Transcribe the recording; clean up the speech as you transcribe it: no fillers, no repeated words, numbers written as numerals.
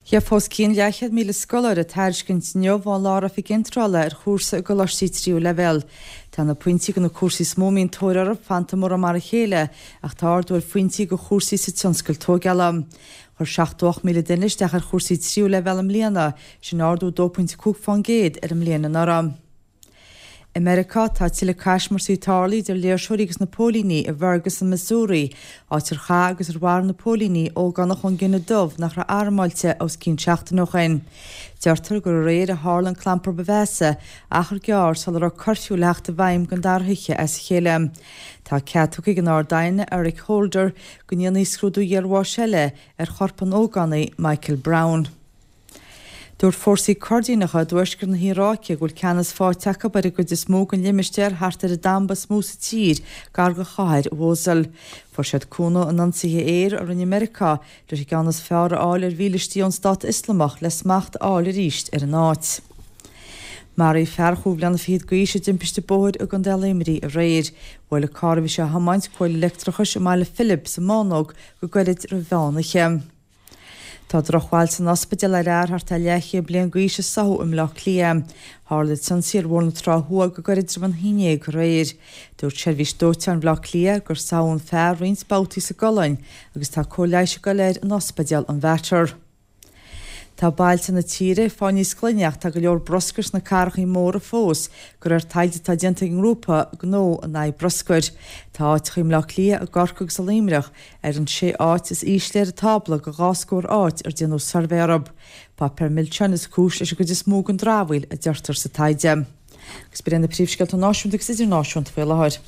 Gheobhaidh os cionn 700,000 scoláire tairiscint inniu ón Lár-Oifig Iontrála ar chúrsa i gcoláistí tríú leibhéal. Tá na pointí do na cúrsaí is mó a mbíonn tóir orthu fanta mórán mar a chéile ach tá ardú ar phointí do chúrsaí sa tionscal tóigeála. Chuir 78,000 duine isteach ar chúrsaí tríú leibhéal i mbliana, sin ardú 2.5% ar an mbliain anuraidh. I Meiriceá, tá tuilleadh caismirtí tarlaithe idir léirseoirí agus na póilíní i bhFerguson, Missouri, áit ar chaith agus ar mharaigh na póilíní ógánach ón gcine dubh nach raibh armáilte os cionn seachtain ó shin. Deirtear gur aréir a tharla an clampar ba mheasa, achar gearr sula raibh cuirfiú le theacht i bhfeidhm don dara hoíche as a chéile. Tá cead tugtha ag an Ard-Aighne, Eric Holder, go ndéanfaí scrúdú iarbháis eile ar chorp an ógánaigh, Michael Brown. Dúirt fórsaí Coirdíneacha i dtuaisceart na hIaráice go bhfuil ceannas faighte acu ar an gcuid is mó den limistéar thart ar an damba is mó sa tír gar do chathair Mhosul. Fuair siad cúnamh in ionsaithe aeir a rinne Meiriceá leis an gceann is fearr a fháil ar mhílistí ón Stát Ioslamach le smacht a fháil arís ar an áit. Maraíodh fear chúig bhliana fichead d'aois i dtimpiste bóthair i gContae Luimnigh aréir. Bhuail an carr a bhí sé a thiomáint cual leictreachais i mBaile Philib sa mBánóg go gairid roimh mheán oíche. Tá drochbhail san ospidéal ar fhear thart ar leathchéad bliain d'aois i Soho i mBleá Cliath. Tharla an t-ionsaí ar Bhóthar na Trá Thuaidh go gairid roimh an haon dhéag aréir. Dúirt Seirbhís Dóiteáin Bhaile Átha Cliath gur sádh an fear roinnt babhtaí sa gcolainn agus tá cóir leighis ag dul air in Ospidéal an Mhater. Tá bailte na tíre ag fáil níos glaine ach tá go leor bruscair sna cathrachaí móra fós, de réir taighde atá déanta ag an ngrúpa gnó in aghaidh bruscair. Tá áiteacha i mBleá Cliath, i gCorcaigh agus i Luimneach ar an sé áit is ísle ar an tábla de dhá scór áit ar déanadh suirbhé orthu. Páipéar milseáin is cúis leis an gcuid is mó den dramhaíl, a deirtear sa taighde. Agus b'in iad na príomhscéalta náisiúnta agus idirnáisiúnta faoi láthair.